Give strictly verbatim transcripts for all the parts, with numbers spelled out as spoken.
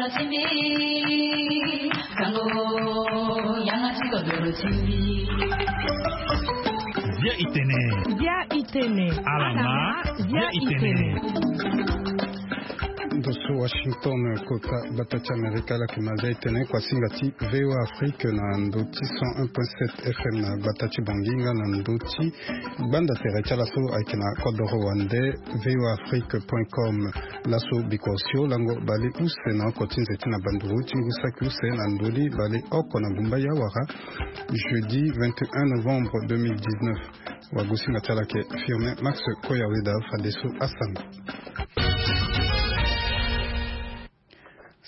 Bia itene. Bia itene. Alama. Bia itene. Ndo so Washington, kota gbata ti Amerika, ala yeke ma Bia itene, kuasinga ti VOA Afrique na ndo ti cent un point sept F M na gbata ti Bangui nga na ndo ti gbanda tere ti ala so ayeke na kodoro wande, voa afrique point com. Laso biko osio lango bale use na oko ti nze ti na banduru ti ngu saki use na ndoni bale oko na gumba ya wara, jeudi vingt et un novembre deux mille dix-neuf. Wagosinga ti ala ayeke Firmin Max Koyaweda. Fadeso asango.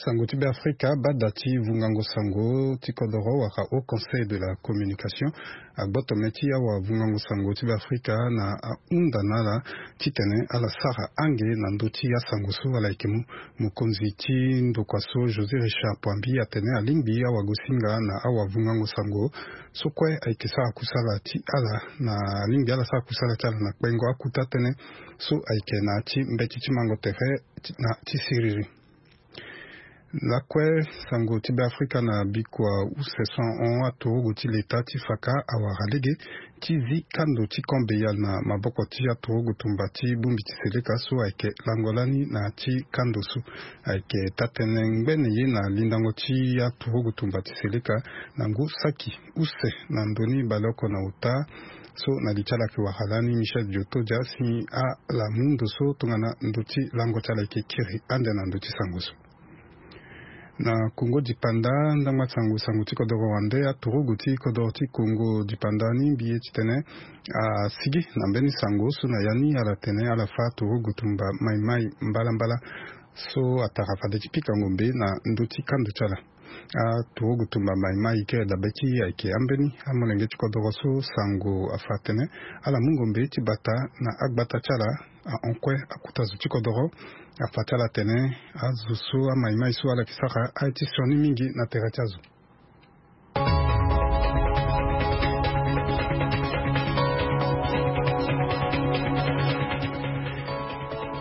Sango ti Beafrika, bada ti vungango sango ti kodoro wala Haut Conseil de la Communication agboto me ti awavungango sango ti Beafrika na ahunda na ala titene ala sara ange na ndö ti asango so ala yeke mu. Mokonzi ti ndokua so, José Richard Poambi, atene alingbi awagosinga na awavungango sango so kue ayeke sara kusala ti ala, na alingbi ala sara kusala ti ala na kpengo akuta tënë so ayeke na ya ti mbeti ti mango tere ti, na ti siriri. Lakue, sango ti Beafrika na bikua use so ahon, aturugu ti leta ti faka awara lege ti zi kando ti Camp Béal na maboko ti aturugu tumba ti bongbi ti seleka so ayeke lango lani na ya ti kando so. Ayeke taa-tënë ngbene ye na lindango ti aturugu tumba ti seleka na ngu saki use na ndoni baleoko na ota. So na li ti ala ayeke wara lani Michel Diotodia, si ala mu ndo so tongana ndo ti lango ti ala ayeke kiri ande na ndo ti sango so. Na Kongo dipanda, ndangba sango, sango ti kodoro wande, aturugu ti kodoro ti Kongo dipanda ni mbi ye titene asigi na mbeni sango so na ya ni ala tene ala fâ aturugu tumba maimai mbalambala so atara fade ti pika ngombe na ndö ti kando ti ala. Aturugu tumba maimai kere dabe ti ayeke ambeni amolenge ti kodoro so sango afâ atene ala mu ngombe ti bata na agbata ti ala. Ahon kue akuta zo ti kodoro, afâ ti ala atene azo so amaimai so ala yeke sara aye ti sioni mingi na tere ti azo.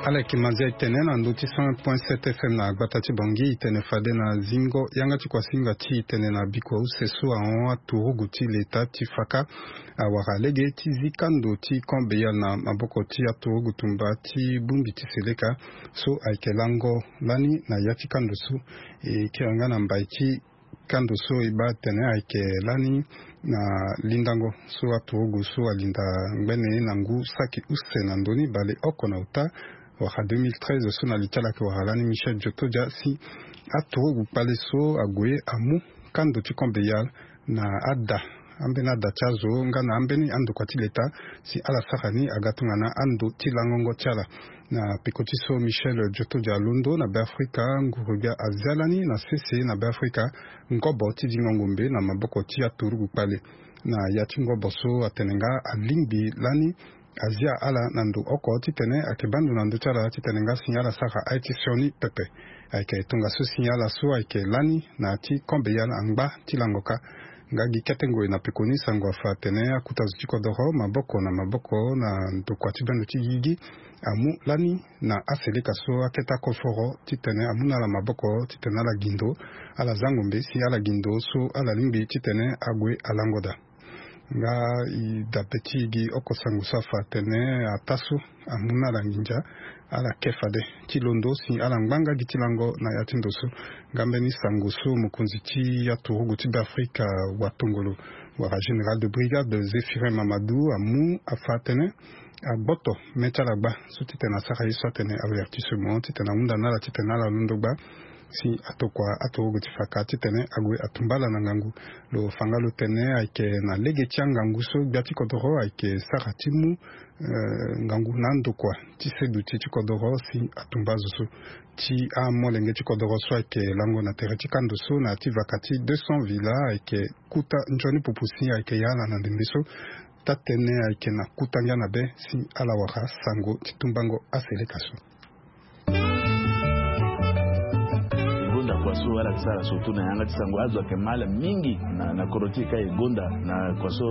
Ala yeke ma Bia itene na ndö ti cent point sept F M na gbata ti Bangui, itene fade na zingo yanga ti kuasinga ti itene na bikua use so ahon, aturugu ti leta ti faka awara lege ti zi kando ti Camp Béal na maboko ti aturugu tumba ti bongbi ti seleka so ayeke lango lani na ya ti kando so. E kiri nga na mbai ti kando so e baa tene ayeke lani na lindango so aturugu so alinda ngbene na ngu saki use na ndoni baleoko na ota, wala deux mille treize, so na li ti ala ayeke wara lani Michel Diotodia, si aturugu kpale so ague amu kando ti Camp Béal na ada, ambeni ada ti azo nga na ambeni andokua ti leta, si ala sara ni aga tongana ando ti langongo ti ala. Na peko ti so Michel Diotodia alondo na Beafrika, nguru gbia azia lani na sese na Beafrika ngobo ti zingo ngombe na maboko ti aturugu kpale. Na ya ti ngobo so atene nga alingbi lani azia ala na ndo oko titene ayeke baa ndo na ndö ti ala titene nga si ala sara aye ti sioni pepe. Ayeke tongaso si ala so ayeke lani na ya ti Camp Béal angba ti lango kâ. Nga gi kete ngoi na pekoni sango afâ atene akuta zo ti kodoro maboko na maboko na ndokua ti bendo ti gigi amu lani na aseleka so akete akoforo titene amu na ala maboko titene ala gi ndo, ala za ngombe si ala gi ndo so ala lingbi titene ague alango daa. Nga e dabe ti e gi oko sango so afâ atene ataa so amu na ala nginza, ala ke fade ti londo si ala ngba nga gi ti lango na ya ti ndo so. Nga mbeni sango so mokonzi ti aturugu ti Beafrika watongolo wala général de brigade Zéphirin Mamadou amu afâ atene agboto me ti ala gba so titene asara ye so atene avertissement titene ahunda na ala titene ala londo gba si atokua aturugu ti faka titene ague atumba ala na ngangu. Lo fa nga lo tene ayeke na lege ti angangu so gbia ti kodoro ayeke sara ti mu, eh, ngangu na andokua ti seduti ti kodoro si atumba azo so. Ti amolenge ti kodoro so ayeke lango na tere ti kando so na ya ti vaka ti deux cents villa ayeke kuta nzoni pupu si ayeke ya ala na ndembe so. Taa-tënë ayeke na kuta ngia na be si ala wara sango ti tumbango aseleka so. Gonda Kua so ala yeke sara surtout na yanga ti sango, azo ayeke ma ala mingi na, na kodro ti e ka e gonda na kua so,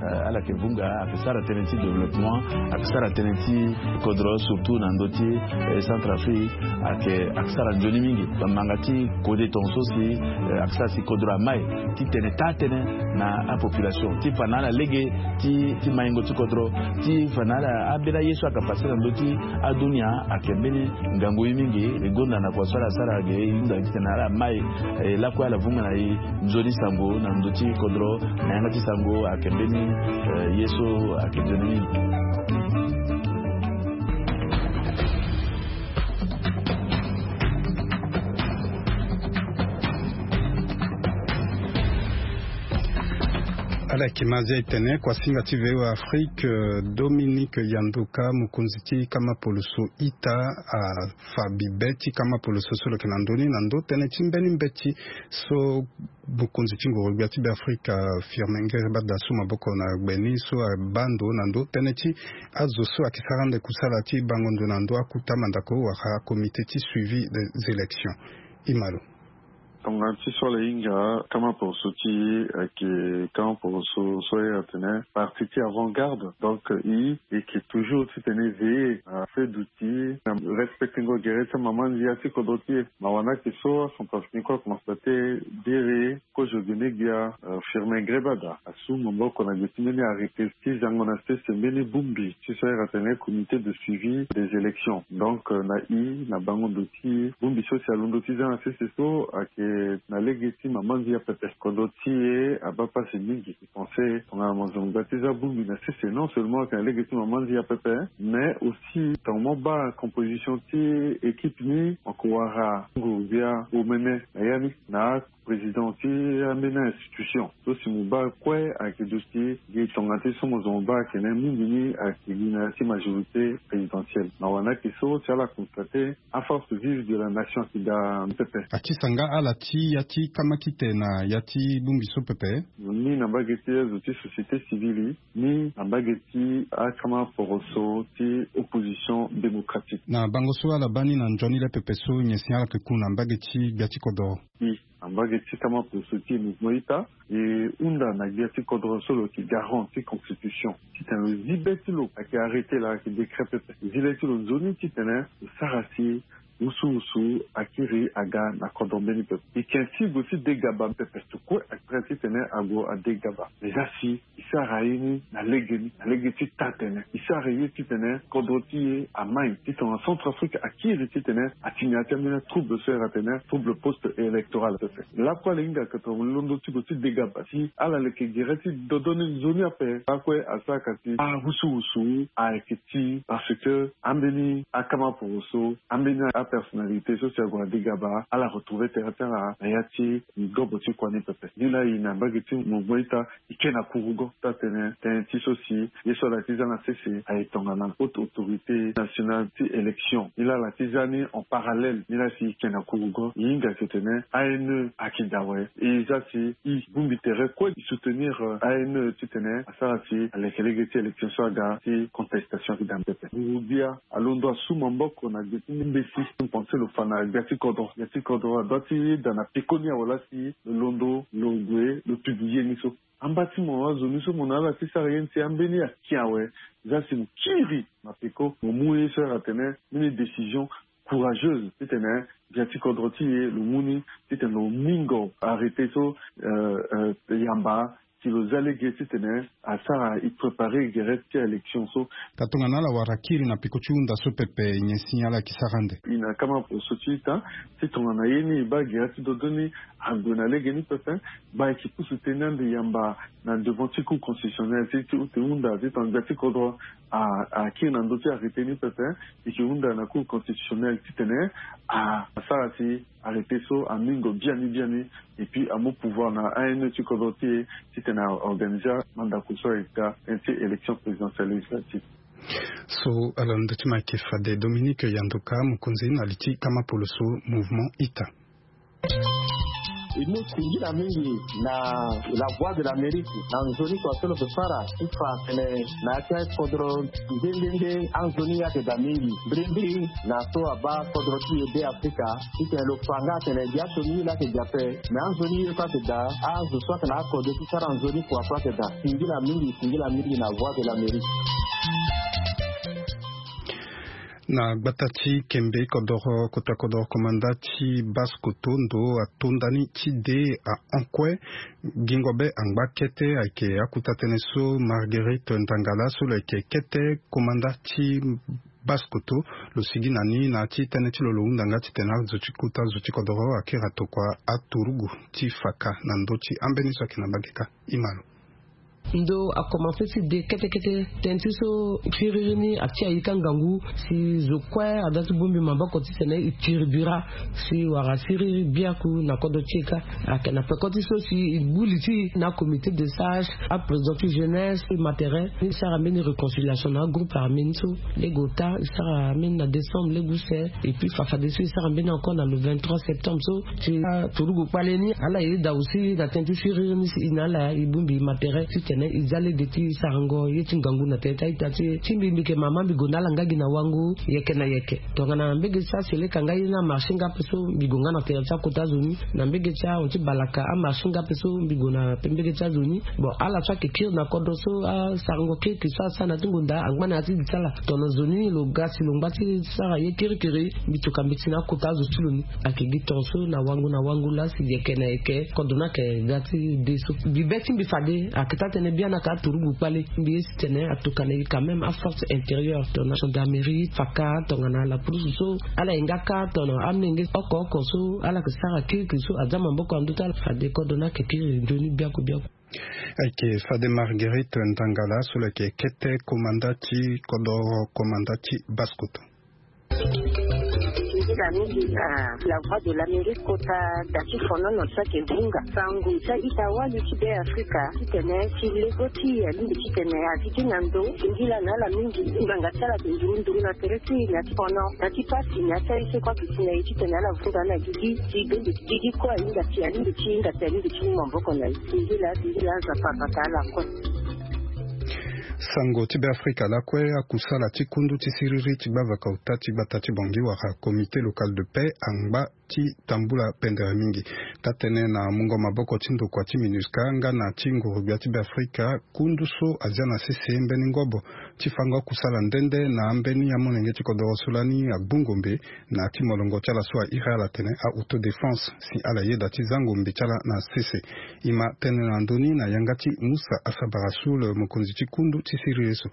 eh, ala yeke vunga, ayeke sara tënë ti développement, ayeke sara tënë ti kodro surtout na ndö ti, eh, Centrafrique, ayeke, ayeke sara nzoni mingi. Bamanga ti kode tongaso si, eh, ayeke sara si kodro amai titene taa tënë na apopulation ti fa na ala lege ti, ti maingo ti kodro, ti fa na ala ambeni aye so ayeke pase na ndö ti adunia ayeke mbeni ngangu ye mingi. E gonda na kua so ala sara ge e hunda titene ala mai, eh, lakue ala vunga na e nzoni sango na ndö ti kodro na yanga ti sango ayeke mbeni, eh, ye so ayeke nzoni mingi. Ala yeke ma azia e tene kuasinga ti V O A Afrique, euh, Dominique Yandoka, mokonzi ti kama poloso ita, afa bibe ti kama poloso so lo yeke na ndö ni na ndö tënë ti mbeni mbeti so mokonzi ti ngoro-gbia ti Beafrika, Firmin Ngerebada, asu maboko na gbe ni so abaa ndo na ndö tënë ti azo so ayeke sara ande kusala ti bango ndo na ndö akuta mandako wala comité ti suivi des élections. Imalo. Tongana ti so ala hinga kama poroso ti e ayeke kama poroso so e atene parti ti avant-garde. Donc e, e yeke toujours titene veiller na feu d'outils, na respectengo gere ti amama ndia ti kodro ti e. Na wani ayeke so acentrafricain kue akonstate biri kozo gene gbia, euh, Firmin Ngerebada asu maboko na gbe ti mbeni arrêté ti zango na sese mbeni bongbi ti so e atene comité de suivi des élections. Donc, euh, na e, na bango ndo ti bongbi so si alondo ti za na sese so ayeke na lege ti mama ndia pepe. Kodro ti e abaa pasi mingi. E pense tongana mo zo mo ga ti za bongbi na sese, non seulement ayeke na lege ti mama ndia pepe, mais aussi tongana mo baa composition ti équipe ni, mo yeke wara nguru-gbia omene na ya ni na président ti ambeni institution so si mo baa kue ayeke duti gi tongana ti so mo zo mo baa ayeke na mingi ni ayeke gi na ya ti majorité présidentielle. Na wani ayeke so si ala constate aforce vive de la nation ayeke daa pepe. Ati sanga ala ti ya ti kama kite na ya ti bongbi so pepe. Ni na mbage ti azo ti société civile, ni na mbage ti akama poroso ti opposition démocratique. Na bango so ala baa ni na nzoni le pepe so nyen si ala yeke ku na mbage ti gbia ti kodro? E, na mbage ti kama poroso ti mouvement ita, e hunda na gbia ti kodro so lo yeke garant ti constitution titene lo zi be ti lo ayeke arrêté la ayeke décret pepe. Zi le ti lo nzoni titene lo sara si wusuwusu akiri aga na kodro mbeni pepe. E yeke ainsi gue ti dégaba pepe, so kue ayeke prêt titene ague adégaba. Mais za si e sara ye ni na lege ni, na lege ti taa tënë. E sara ye titene kodro ti e amai ti tongana Centrafrique akiri titene atini na ya ti ambeni atrouble so e atene trouble post électoral pepe. Lakue ala hinga ka tongana londo ti gue ti dégaba si ala leke gere ti dodo ni nzoni ape. Lakue asara ka si awusuwusu ayeke ti parce que ambeni akama poroso, ambeni apersonnalité so si ague adégaba, ala retrouve tere ti ala na ya ti ngobo ti kua ni pepe. Ni laa e na mbage ti mouvement ita, e ke na kurugo ti atene tënë ti so si ye so ala ti za na sese aye tongana haute autorité nationale ti élection. Ni laa ala ti za ni en parallèle. Ni laa si e ke na kurugo, e hinga titene A N E ayeke daa awe. E za si e bongbi tere kue e soutenir, euh, A N E titene asara si aleke lege ti élection so aga ti contestation ayeke daa pepe. Nguru-gbia alondo asu maboko na gbe ti mbeti. Mbi pense lo fa na gbia ti kodro. Gbia ti kodro adoit ti yeda na peko ni awe laa si lo londo lo gue lo publie ni so. Amba ti mo azo ni so mo na ala ti sara ye ni si ambeni aki awe. Za si mo kiri na peko, mo mu ye so ala tene mbeni décision courageuse titene gbia ti kodro ti e lo mu ni titene lo mingo arrêté so, euh, euh, yamba si lo za lege titene asara e préparer gere ti élection so. Ka tongana ala wara kiri na peko ti hunda so pepe, nyen si ala yeke sara ande? E na kama poroso ti ita ti tongana ye ni e baa gere ti dodo ni ague na lege ni pepe, baa e yeke pusu tënë ande yamba na devant ti cour constitutionnelle ti, ti ute hunda ti tongana gbia ti kodro a, akiri na ndö ti arrêté ni pepe, e yeke hunda na cour constitutionnelle titene a, asara si arrêté so amingo biani biani, et puis amu pouvoir na A N E ti kodro ti e titene a organiser mandako so ayeke daa tënë ti élection présidentielle législative. So ala ndö ti ma ayeke fade Dominique Yandoka, mokonzi na li ti kama poloso mouvement ita. E mu singila mingi na la Voix de l'Amérique na nzoni kua so lo pe fara ti fa tene na ya ti akodro nde nde nde anzoni ye ayeke daa mingi. Mbirimbiri na so abaa kodro ti e be Afrika titene lo fa nga atene gi aso ni ye laa ayeke gi ape. Me anzoni ye so ayeke daa, azo so ayeke na akode ti sara nzoni kua so ayeke daa. Singila mingi, singila mingi na Voix de l'Amérique. Na gbata ti Kembe kodoro, kota kodoro komanda ti Basse-Kotto ndo atonda ni ti de ahon kue. Gingo be angba kete ayeke akuta tënë so Marguerite Ndangala so lo yeke kete komanda ti Basse-Kotto lo sigi na ni na ya ti tënë ti lo, lo hunda nga titene azo ti kota zo ti kodoro akiri atokua aturugu ti faka na ndö ti ambeni so ayeke na mbage kâ. Ima lo. Ndo akomanse ti de kete kete tënë ti so siriri ni ati ayika ngangu si zo kue ada ti bongbi maboko titene e tiri bira si wara siriri biaku na kodro ti e kâ. Ayeke na peko ti so si e gbu li ti e na comité de sage, aprésident ti jeunesse, matériel ni sara mbeni réconciliation na agroupe armé ni so. Lege ota e sara mbeni na décembre lege use. Et puis fafadeso e sara mbeni encore na le vingt-trois septembre so. Ti aturugu kpale ni ala yeda aussi na tënë ti siriri ni si e na ala e bongbi matériel titene e za lege ti sarango ye ti ngangu na tere ti a-ita ti e. Ti mbi, mbi yeke mama, mbi gue na ala nga gi na wango yeke na yeke. Tongana mbege ti aseleka nga ye ni amarché nga ape so, mbi gue nga na tere ti akota zo ni. Na mbege ti ahon ti balaka amarché nga ape so, mbi gue na mbege ti azo ni. Bon, ala so ayeke kiri na kodro so, asarango kirikiri so asara na ya ti ngonda angba na ya ti di ti ala. Tongana zo ni lo ga si lo ngba ti sara ye kirikiri, mbi toka mbeti na akota azo ti lo ni. Ayeke gi tongaso na wango na wango laa si yeke na yeke kodro ni ayeke ga ti de so. Mbi be ti mbi fade ayeke taa tënë biani ayeke aturugu kpale. Mbi ye si tene atokua na e quand même aforce intérieure tongana gendarmerie, faka, tongana la police so. Ala hinga kâ tongana amenge oko oko so ala yeke sara kirikiri so aza maboko na ndö ti ala. Fade kodro ni ayeke kiri nzoni biaku biaku. Ayeke fade Marguerite Ndangala so lo yeke kete komanda ti kodoro, komanda ti Basse-Kotto. Nzila mingi na La Voix de l'Amérique kota da ti fonono so ayeke vunga sango ti a-ita wali ti Be Afrika titene ti lego ti e alingbi titene a zi ti na ndo. Singila na ala mingi. Ngbanga ti ala ayeke nduru nduru na tere ti e na ti fono na ti pasi na ya ti aye so kue ayeke si na e titene ala vunga na gigi ti bende ti gigi kue ahinga si alingbi ti hinga si alingbi ti mu maboko na e. Singila, singila, Nzapa abata ala kue. Sango ti Be Afrika lakue, akusala ti kundu ti siriri ti gbavaka ota ti gbata ti Bangui wala Comité local de paix angba ti tambula pendere mingi. Taa-tënë na mungo maboko ti ndokua ti MINUSCA nga na ti nguru-gbia ti Be Afrika, kundu so azia na sese mbeni ngobo ti fango akusala nde nde na ambeni amolenge ti kodoro so lani agbu ngombe na ya ti molongo ti ala so a iri ala tene a-autodéfense si ala yeda ti za ngombe ti ala na sese. E ma tene na ndö ni na yanga ti Moussa Asabara Soul, mokonzi ti kundu ti siriri so.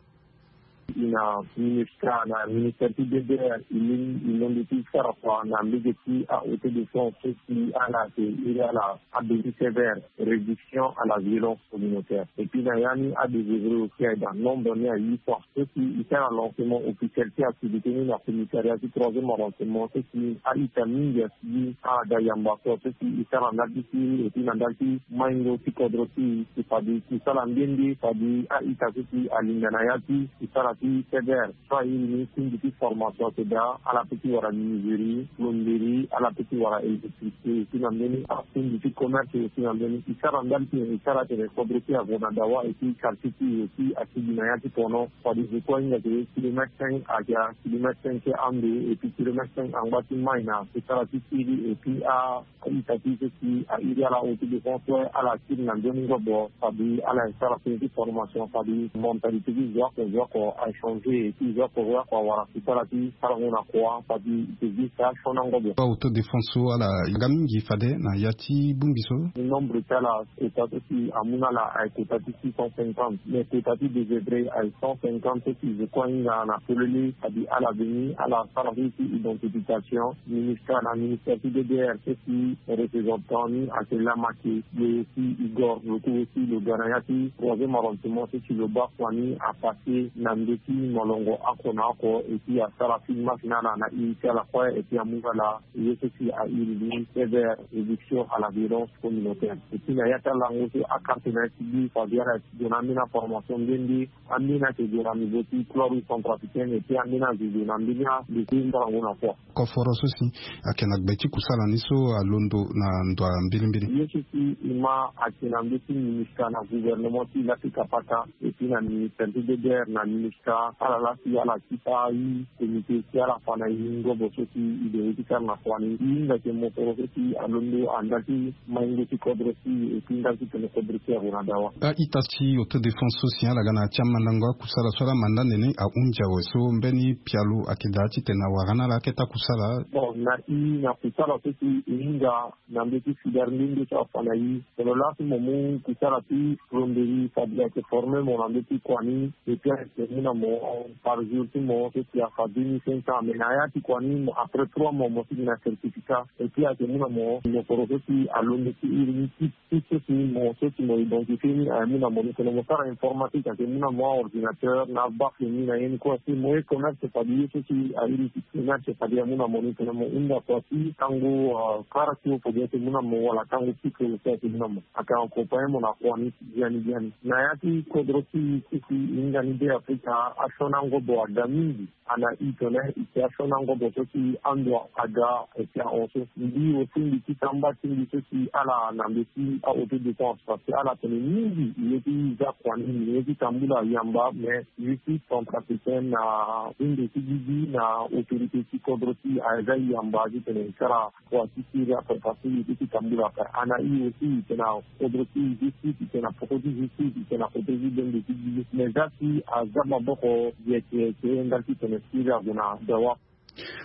E na MINUSCA na ministère ti D D R, e lingbi e londo ti sara kua na mbege ti a-autodéfense so si ala yeke iri ala abeti sévère, réduction à la violence communautaire. Et puis na ya ni adésœuvré aussi aye daa, nombre ni aye fort. So si e sara lancement officiel ti activité ni na commissariat ti troisième arrondissement so si a-ita mingi asigi, ada yamba so, so si e sara ndali ti siriri et puis na ndali ti maingo ti kodro ti e, si fade e sara nde nde fade a-ita so si alinga na ya ti e sara ti sévère. So aye ni, kundi ti formation ayeke daa, ala peut ti wara menuiserie, plomberie, ala peut ti wara électricité, aussi na mbeni akundi ti commerce, aussi na mbeni e sara ndali ti e, e sara tene kodro ti e ague na dawa, et puis quartier ti e aussi asigi na ya ti pono. Fade zo kue ahinga ke kilomètre cinq ayeke kilomètre cinq ti ando, et puis kilomètre cinq angba ti mai na e sara ti siriri, et puis a a-ita ti e so si a iri ala autodéfense kue, ala kiri na nzoni ngobo, fade ala sara tënë ti formation, fade mentalité ti zo oko zo oko achanger, ti zo oko zo oko awara ti sara ti sarango na kua, fade e te gi sa asioni angobo. Autodéfense so ala yanga mingi fade na ya ti bongbi so. Nombre ti ala kota so si amu na ala aye kota ti six cent cinquante, mais kota ti désœuvré aye cent cinquante so si zo kue ahinga na polele, fade ala veni ala sara ti identification. Ministre na ministère ti D D R so si représentant ni ayeke Lamake, lo aussi Igor, lo kue aussi lo ga na ya ti troisième arrondissement so si lo baa kua ni apassé na ndö Ti molongo oko na oko, et puis asara ti masse na ala na iri ti ala kue, et puis amu ala ye so si a iri ni, sévère éviction à la violence communautaire. Et puis na ya ti alango so akarte na ya ti bi fabien ala ti gue na ambeni aformation nde nde. Ambeni ayeke gue na niveau ti chlore centrafricaine, et puis ambeni azo gue na mbeni ande ti mbarango na kua. Koforo so si ayeke na gbe ti kusala ni so alondo na ndo ya mbilimbili. Ye so si e ma ayeke na mbeti ministre na gouvernement ti lafrika pata, et puis na ministre ti ddr na ministre ala laa si ala ti pari comité ti ala fa na e ngobo so si e dere ti sara na kua ni. E hinga ayeke mosoro so si alondo na ndali ti maingo ti kodro ti e, et puis ndali ti tene kodro ti e ague na dawa. A-ita ti autodéfense so si ala ga na ya ti amandango akusala so ala manda nene ahunzi awe so mbeni pialo ayeke daa titene awara na ala akete akusala. Bon, na e na kusala so si e hinga na mbeti fidar nde nde so afa na e. Tongana laa so mo mu kusala ti plomberie, fade ayeke forme mo na mbeti kua ni. Et puis ayeke mu na mo par jour ti mo so si afa deux mille cinq cents, mais na ya ti kua ni mo après trois mois mo sigi na certificat. Et puis ayeke mu na mo mosoro so si alondo ti iri ni ti ti so si mo so si mo identifie ni aye mu na mo ni tene mo sara informatique ayeke mu na mo aordinateur na abafle ni na ye ni kue si mo ye commerce fade ye so si airi ti commerce fade amu na mo ni tene mo hunda kua ti tango kara ti ofo gi ayeke mu na mo wala tango pike lo si ayeke mu na mo. Ayeke accompagne mo na kua ni biani biani na ya ti kodro ti e so si e hinga ni be afrika asioni angobo aga mingi. Ana i tene i ke asioni angobo so si ando aga. Eke ahon so mbi aussi mbi ti samba ti mbi so si ala na mbi ti aauto-défense parce que ala tene mingi i ye ti za kua ni i ye ti tambula yamba mais justice centrafricaine na hindo ti gigi na autorité ti kodro ti aza yamba ti tene i sara. Kua ti siri ape parce que i ye ti tambula ape ana i aussi i tene na kodro ti justice i tene na poko ti justice i tene na kodro ti bembe ti gigi mais za si aza maboko. Yeke yeke ndali ti tene siri ague na dawa.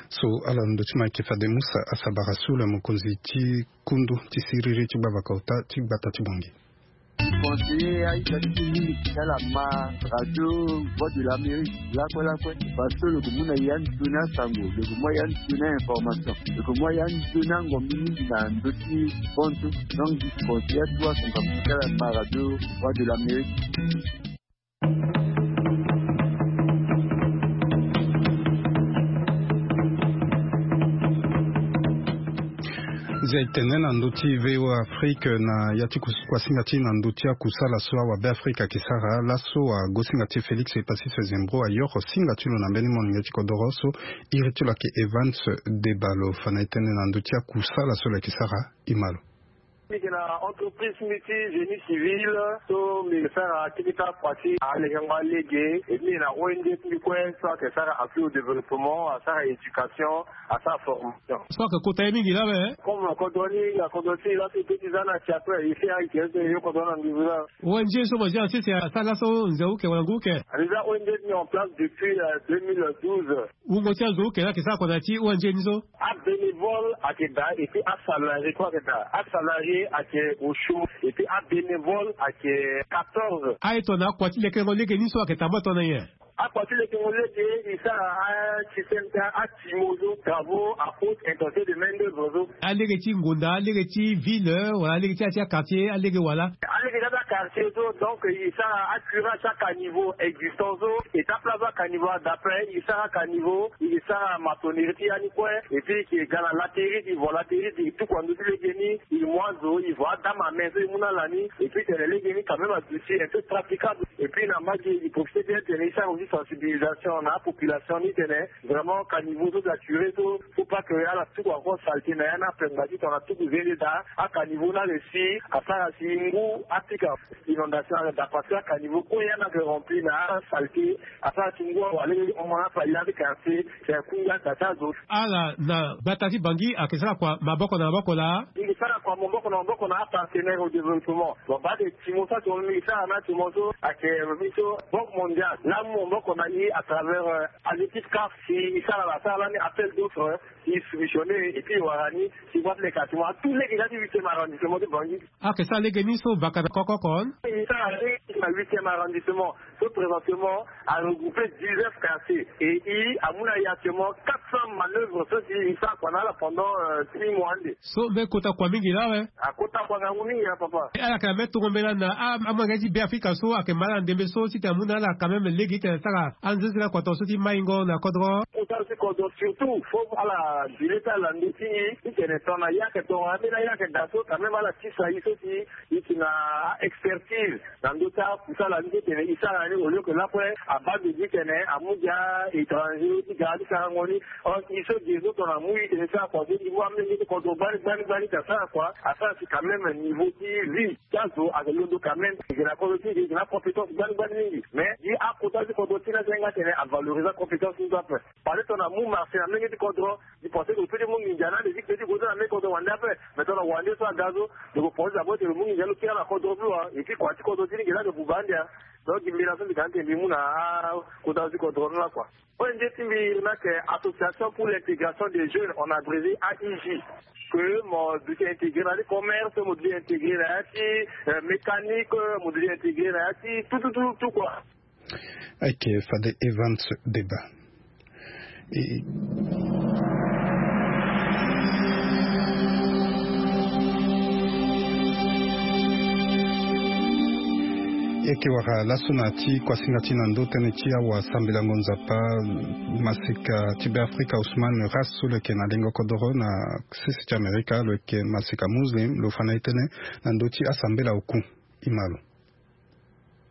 So ala ndo ti ma yeke fade musa asabara so le mokonzi ti kundu ti siriri ti gbavaka ota ti gbata ti bongi. Conseiller aita ti ti mingi ti ala ma radio voix de l'amérique lakue lakue. Parce que lo ke mu na ya nzoni asango lo ke mu ya nzoni ainformation lo ke mu ya nzoni angombi mingi na ndo ti bonto. Donc conseiller atuwa son kapu ti ala ma radio voix de l'amérique. Nzia etene na ndö ti voa afrique na ya ti kusuku asinga ti na ndö ti akusala so awabe afrique ayeke sara laso ago singa ti félix epasis zembro ayoro singa ti lo na mbeni molenge ti kodoro so iri ti lo ayeke evans debalo fa na etene na ndö ti akusala so lo yeke sara. Imalo. Mbi yeke na entreprise mbi ti génie civil so mbi yeke sara keketa kua ti alekengo alege. Mbi yeke na ong ti mbi kue so ayeke sara appui au développement asara éducation asara formation. So ayeke kota ye mingi laa me. Comme kodro ni na kodro ti laso e pe ti za na si ape e si ayeke ete yo kodro na nduzu laa. Ong so mo zia na sese asara laso nze uke wala ngu uke? Mbi za ong ni en place depuis deux mille douze. Wungo ti azo uke laa ayeke sara kua na ya ti ong ni so? Abénévole ayeke daa et puis asalarié kue ayeke daa. Asalarié ayeke osio et puis abénévole ayeke quatorze. Aye tongana akua ti lekengo lege ni so ayeke tambula tongana nyen? Akua ti lekengo lege e sara asystème ti atimo so travaux à haute intensité de main d'œuvre so. Alege ti ngonda alege ti ville wala alege ti ya ti aquartier alege wala? Alege ti ata quartier so donc e sara acurage ti acaniveau existant so e ta place acaniveau ada ape e sara acaniveau e sara maçonnerie ti ya ni kue. Et puis e ke ga na laterie e vo laterie e tuku na ndö ti lege ni. E mu azo e vo adame ame so e mu na ala ni. Et puis tene lege ni quand même aduti un peu praticable. Et puis na mbage e profite bien tene e sara aussi sensibilisation na apopulation ni tene vraiment caniveau so de la curée so faut pas que ala tuku encore saleté na ya ni ape ngba ti tongana tuku zende daa. Acaniveau ni aressi asara si ngu apika inondation ala daa parce que acaniveau kue ya ni ayeke rempli na asaleté. Asara ti ngu awa lege ti hon na afali na ti quartier. C'est kunga daa ti azo. Ala na gbata ti bangi ayeke sara kua maboko na maboko laa? Mbi sara kua maboko na maboko na apartenaire au développement. Bon bade timo so atimo mbi sara na timo so ayeke mbi so banque mondiale laa mu maboko na e à travers aléquipe caf si e sara la sara lani appel d'offre. E soumissionner et puis e wara ni si voie ti leka timo na tout lege ti huitième arrondissement ti bangi. Ayeke sara lege ni so baka na kokokon? E sara lege. Na huitième arrondissement, so présentement a regroupé dix-neuf quartiers et i amu na ye actuellement quatre cents manœuvres so si i sara kua na ala pendant six mois ande. So mbe kota kua mingi laa awe. Akota kua ngangu mingi na papa. Ala yeke na mbe tongo mbela na amolenge ti be afrika so ayeke ma ala na ndembe so titene amu na ala quand même lege titene asara anzenzela kua tonga so ti maingo na kodro. Kota so ti kodro surtout fo ala dile ti ala na ndö ti i titene tongana ye ayeke tongana ambeni aye ayeke daa so quand même ala tisa i so si i yeke na a-expertise na ndö ti akusala ni ti tene i sara ni au lieu ke lakue abaa be gi tene amu gi a-étranger ti gara ti sarango ni. Or i so gi e so tongana amu i tene i sara kua so i mu amolenge ti kodro gbani gbani gbani ti asara kua asara si quand même niveau ti vie ti azo ayeke londo quand même. Gi na kodro ti gi gi na compétence gbani gbani mingi mais gi akota ti kodro ti ni asenga tene avalorise acompétence ni so ape. Parce que tongana amu marché na menge ti kodro, di pense ke lo peut ti mu nginza na ande ti kpe ti gue so na menge kodro wande ape. Mais tongana wande so aga so lo ke pense d'abord ti lo mu nginza lo kiri ala na kodro so wa et puis kua ti kodro ti ni nginza ayeke buba ande a. Donc gi mbela so mbi ga ande mbi mu na akota so ti kodro ni lakua. Ong ti mbi ni ayeke association pour l'intégration des jeunes en abrégé aij. Ke mo duti intégré na ya ti commerce, mo duti intégré na ya ti mécanique, mo duti intégré na ya ti tout tout tout tout kua. Ayeke fade evans deba. Eke wara laso na ti kuasinga ti na ndo tënë ti awa sambelango nzapa masika ti be afrika usman ras so lo yeke na lengo kodoro na sese ti amerika lo yeke masika muslim lo fa na ye tënë na ndö ti asambela oku. Imalo.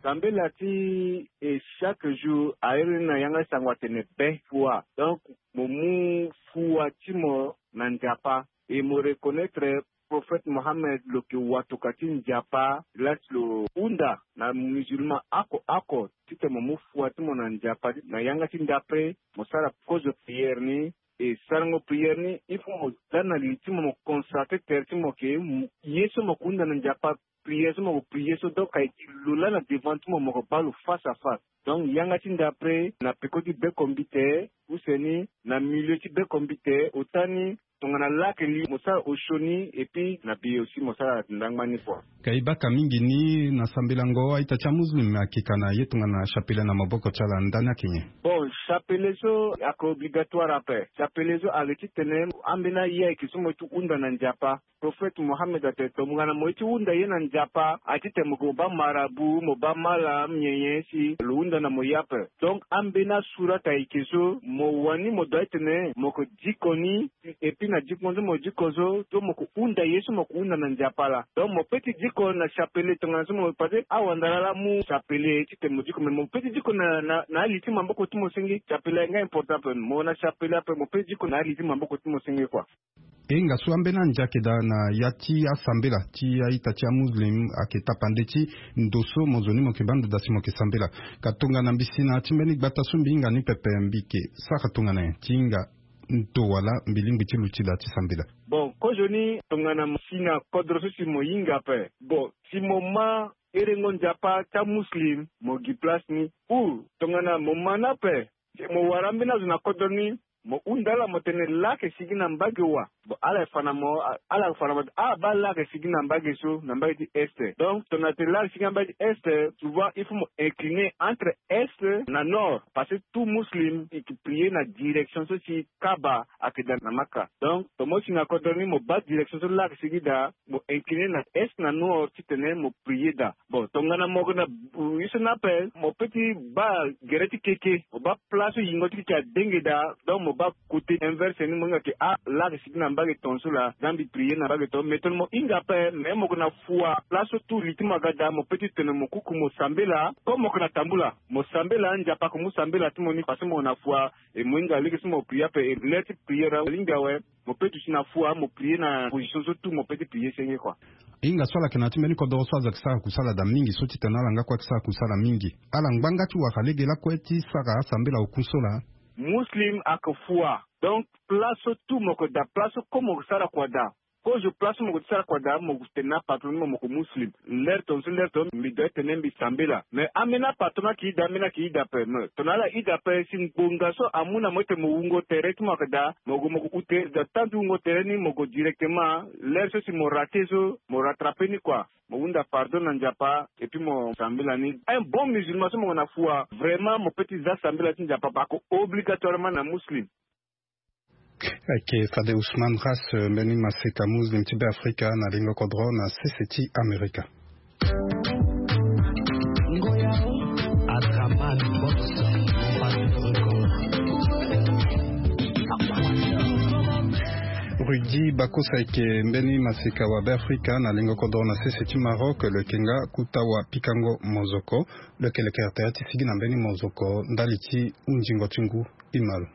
Sambela ti e chaque jour airi ni na yanga ti sango atene be fua donc mo mu fua ti mo na nzapa. E mo reconnaître prophète mohammed lo ke watoka ti nzapa lasi lo hunda na musulman oko oko titene mo mu fua ti mo na nzapa na yanga ti ndape. Mo sara kozo prière ni e sarango prière ni il faut mo za na li ti mo mo constate tere ti mo ke ye so mo ke hunda na nzapa prière so mo ko prière so donc ayeke lo laa na devant ti mo mo ko baa lo face à face. Donc yanga ti nda après na peko ti beko mbite use ni na milieu ti beko mbite ota ni tongana lake li mo sara osio ni et puis na biye aussi mo sara ndangba ni kua. Ka e baka mingi ni na sambelango a-ita ti amuslim akeka na ye tongana chapelet na maboko ti ala ndani ake nyen? Bon, chapelet so ake obligatoire ape. Chapelet so ake titene ambeni aye ayeke so mo ye ti hunda na nzapa. Prophète mohammed atene tongana mo ye ti hunda ye na nzapa aye titene mo ke mo baa marabu mo baa malam nyenye si lo hunda na mo ye ape. Donc ambeni asurata ayeke so mo wani mo dua titene mo ke diko ni. Et puis na diko so mo diko so so mo ke hunda ye so mo ke hunda na nzapa laa donc mo pe ti diko na chapelet tongana so mo pase awandara laa mu chapelet titene mo diko mais mo pe ti diko na na na ali ti maboko ti mo senge chapelet aye nga important ape mo na chapelet ape mo pe ti diko na ali ti maboko ti mo senge kua. E hinga so ambeni andia ayeke daa na ya ti asambela ti a-ita ti amuslim ayeke tapande ti ndo so mo zo ni mo yeke baa ndo daa si mo yeke sambela. Ka tongana mbi si na ya ti mbeni gbata so mbi hinga ni pepe mbi yeke sara tongana nyen ti hinga ndo wala mbi lingbi ti luti daa ti sambela? Bon kozoni tongana mo si na kodro so si mo hinga ape. Bon si mo ma herengo nzapa ti amuslim mo gi place ni ou tongana mo ma ni ape si mo wara ambeni azo na kodro ni mo hunda ala mo tene laa ayeke sigi na mbage wa. Bon ala fa na mo ala fa na mo ah baa laa ayeke sigi na mbage so na mbage ti est. Donc tongana tene laa ayeke sigi na mbage ti est souvent il faut mo incliner entre est na nord parce que tout muslim i ke prier na direction so si kaba ayeke daa na maka. Donc tongana mo si na kodro ni mo baa direction so laa ayeke sigi daa mo incliner na est na nord titene mo prier daa. Bon tongana mo yeke na ye so ni ape mo pe ti baa gere ti keke mo baa place so yingo ti keke adenge daa. Donc mo baa kote inverse ni mo hinga ke ah laa ayeke sigi na mbage tonga so laa za mbi prier na mbage tonga mais tongana mo hinga ape mais mo yeke na fua place so tout li ti mo aga daa mo pe ti tene mo kuku mo sambela. Comme mo yeke na tambula mo sambela nzapa ayeke mu sambela ti mo ni parce que mo yeke na fua. E mo hinga lege so mo prier ape e le ti prier alingbi awe. Mo pe duti na fua mo prier na position so tout mo pe ti prier senge kua. Hinga so ala yeke na ya ti mbeni kodoro so azo ayeke sara kusala daa mingi so titene ala nga kue ayeke sara kusala mingi ala ngbanga ti wara lege lakue ti sara asambela oku so laa. Muslim ayeke fua donc place so tout mo yeke daa place so comme mo yeke sara kua daa. Kozo place so mo ko ti sara kua daa, mo ko tene na patron ni mo, mo ko muslim. Lere tongaso lere tongaso mbi doit tene mbi sambela. Mais ambeni apatron ni ayeke ida, ambeni ayeke ida ape. Mais tongana ala ida ape, si ngbonga so amu na mo ete mo wungo tere ti mo ayeke daa, mo gue mo ko ute. Da temps ti wungo tere ni mo gue directement. Lere so si mo rate so, mo rattrape ni kua. Mo hunda pardon na Nzapa et puis mo sambela ni. Un bon musulman so mo gue na fua, vraiment mo peut ti za sambela ti Nzapa, ba ko obligatoirement na muslim. Ayeke fade Ousmane Ras, euh, mbeni maseka muslim ti Beafrika na lingo kodro na sese ti Amerika. Ngoya o, Adraman Box, Bombastic Record. Rudy Bakosa ayeke mbeni maseka wa Beafrika na lingo kodro na sese ti Maroc, lo yeke nga kota wa pikango mozoko. Lo yeke lekere tere ti sigi na mbeni mozoko ndali ti hunzingo ti ngu. Imalo.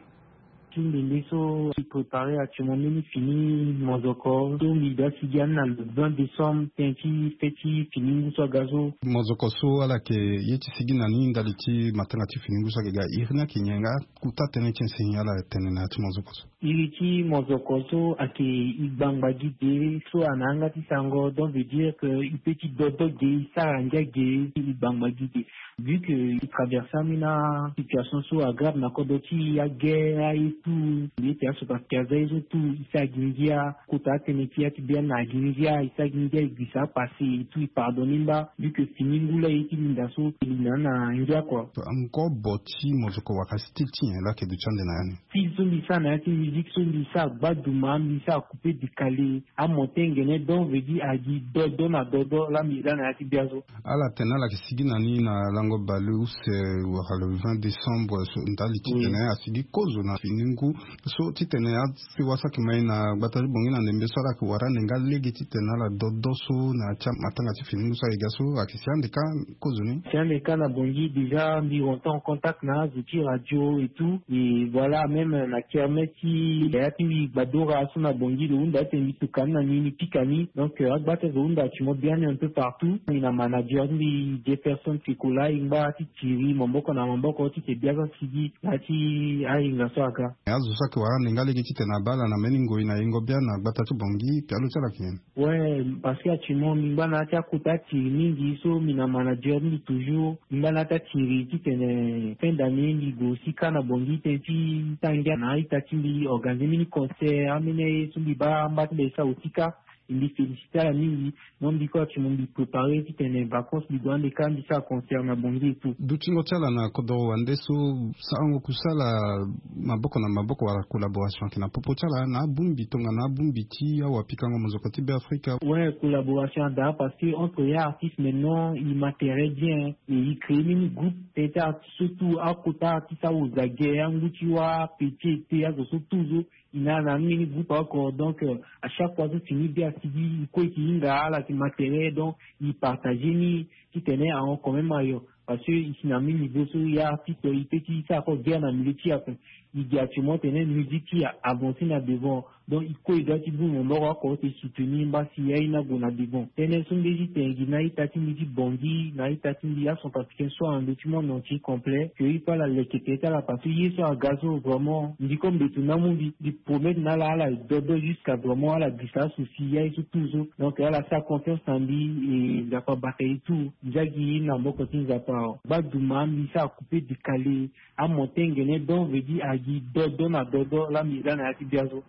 Ti ndembe so i prépare actuellement mbeni fini mozoko so mbi doit sigi ani na le vingt décembre, tënë ti fête ti fini ngu so aga so. Mozoko so ala yeke ye ti sigi na ni ndali ti matanga ti fini ngu so ayeke ga iri ni ayeke nyen, nga kota tënë ti enseigné ala tene na ya ti mozoko so? Iri ti mozoko so ayeke i gbangba gi ge so ana yanga ti sango, donc veut dire que i peut ti dodo ge, i sara ngia ge, i gbangba gi ge. Vu que i traverse ambeni asituation so agrave na kodro ti aguerre aye tout, mbi ete aso parce que aza ye so tout i sara gi ngia. Kota atënë ti ya ti biani na gi ngia, i sara gi ngia, i gbisa apassé et tout, i pardonné mba. Vu que fini ngu la ye ti linda so, i linda na ngia kua. Encore bo ti mozoko wara style ti nyen la ke duti ande na ya ni? Style so mbi sara na ya ti musique so mbi sara gbaduma, mbi sara coupé décalé, amonté ngene, donc veut dire agi dodo na dodo la mbi za na ya ti bia so. Ala tene ala yeke sigi na ni na lango baleuse, eh, wala le vingt décembre so ndali ti tene asigi kozo na fini ngu so ti tene asewa so ayeke mai na gbata ti bongi na ndembe so ala yeke wara ande nga lege ti tene ala dodo so na ya ti matanga ti fini ngu so ayeke ga so ayeke si ande kâ kozo ni. Si ande kâ na bongi déjà mbi rentre en contact na azo ti radio et tout, et voilà, même na kermesse ti yaya ti mbi gbadora so na bongi lo hunda ete mbi tuka ni na ni, mbi pika ni. Donc, euh, agba ti azo hunda ti mo biani un peu partout. Mbi na manager ti mbi Jefferson Kekola, e ngba ti tiri maboko na maboko ti ke bia so asigi na ya ti ahinga so aga. Azo so ayeke wara ande nga lege ti tene abaa ala na mbeni ngoi na yengo bia na gbata ti bongi, pialo ti ala ayeke nyen? Ouais, parce que actuellement mbi ngba na ya ti akota tiri mingi so mbi na manager ti mbi toujours. Mbi ngba na ya ti atiri titene fin d'année mbi gue aussi kâ na bongi tënë ti sara ngia na a-ita ti mbi organiser mbeni concert, ambeni aye so mbi baa mba ti mbi sara aussi kâ. Mbi féliciter ala mingi. Donc mbi kue actuellement mbi préparer titene vacances mbi gue ande kâ mbi sara concert na bongi et tout. Dutingo ti ala na kodoro wande so, sarango kusala maboko na maboko wala collaboration ayeke na popo ti ala na abongbi tongana abongbi ti awapikango mozoko ti Beafrika. Ouais, collaboration ada parce que entre ya artiste maintenant i ma tere bien, et i créer mbeni groupe, tënë ti artiste so tout, akota artiste aoza ge, angu ti wâ, petit ete, azo so tout so i na na mbeni groupe oko. Donc, euh, à chaque fois so fini be asigi, i kue i ke hinga ala ti ma tere, donc i partager ni titene ahon quand même ayo. Parce que i si na mbeni niveau so ya artiste i peut ti sara kue guerre na milieu ti ape. I gi actuellement tene musique ti avancer na devant. Donc i kue i doit ti bongbi maboko oko ti soutenir mba si aye ni ague na devant. Tënë so mbi ye ti tene gi na a-ita ti mbi ti bongi, na a-ita ti mbi acentrafricain so na ndö ti monde entier complet, que i pe ala leke tere ti ala parce que ye so aga so vraiment mbi kue mbeto ni amu mbi, mbi promettre na ala ala dodo jusqu'à vraiment ala gbisa asouci ya ye so tout so. Donc ala sara confiance na mbi, et Nzapa abata ye tout. Ndia gi na maboko ti Nzapa. Gbaduma mbi sara coupé décalé, amonté ngene, donc veut dire agi dodo na dodo la mbi za na ya ti bia so.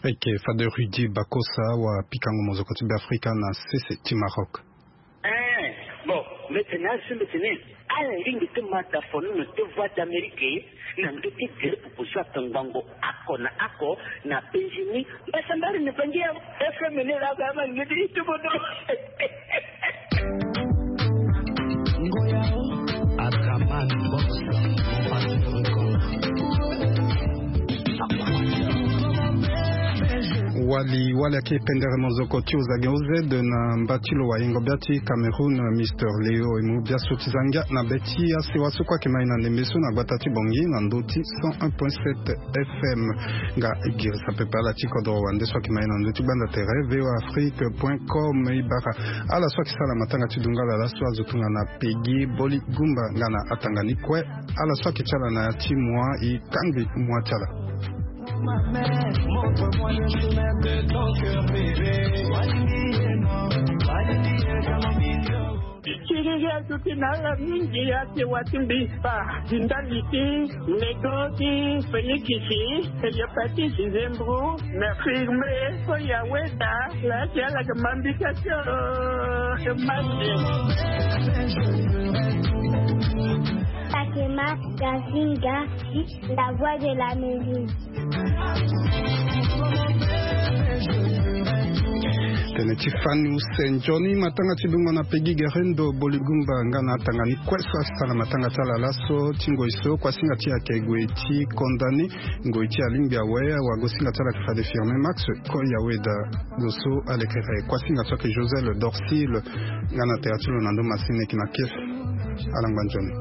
Eke fade Rudy Bakosa, wapikango mozoko ti Beafrika na sese ti Maroc. Eh, bon, mbi tene azo so mbi tene ala lingbi ti ma da fonono ti Voix d'Amérique na ndö ti gere popo so akangbango oko na oko na penzi ni. Mbasambari ni bangi ya F M ni la ga ma ngeti ti bodo. Ngoya o, Adraman Box, Bombastic Record. Wali wali ayeke pendere mozoko ti ozage oz na mba ti lo wayengo bia ti Cameroun, Mister Leo, e mu bia so ti za ngia na be ti asewa so kue ayeke mai na ndembe so na gbata ti bongi na ndö ti cent un point sept F M. Nga e girisa pepe ala ti kodro wande so ayeke mai na ndö ti gbanda tere V O A Afrique point com. E bara ala so ayeke sara matanga ti dungala laso azo tongana Peggy, Boli Gumba nga na atanga ni kue. Ala so ayeke ti ala na ya ti moi e kangbi moi ti ala. Ma mère, montre-moi le chemin de ton cœur, bébé. Why me, no? Why me, no? Kiriri azuti na ala mingi ake watimbi pa dindali ti nego ti fenikisi, hepatite, zembro, na firme. Ko ya weda la ake ala ke mambika ti o ke masi. Pakema Gazinga, la voix de la musique. Tene ti fani use nzoni matanga ti dungo na pegi gerendo boligumba nga na atanga ni kue so asala matanga ti ala laso ti ngoi so kuasinga ti ayeke gue ti condamné ngoi ti alingbi awe awagosinga ti ala ayeke fade firme max. Ko ya weda zo so alekere kuasinga so ayeke josel dorsil. Nga na tere ti lo na ndo masini eke na kef. Alangba nzoni.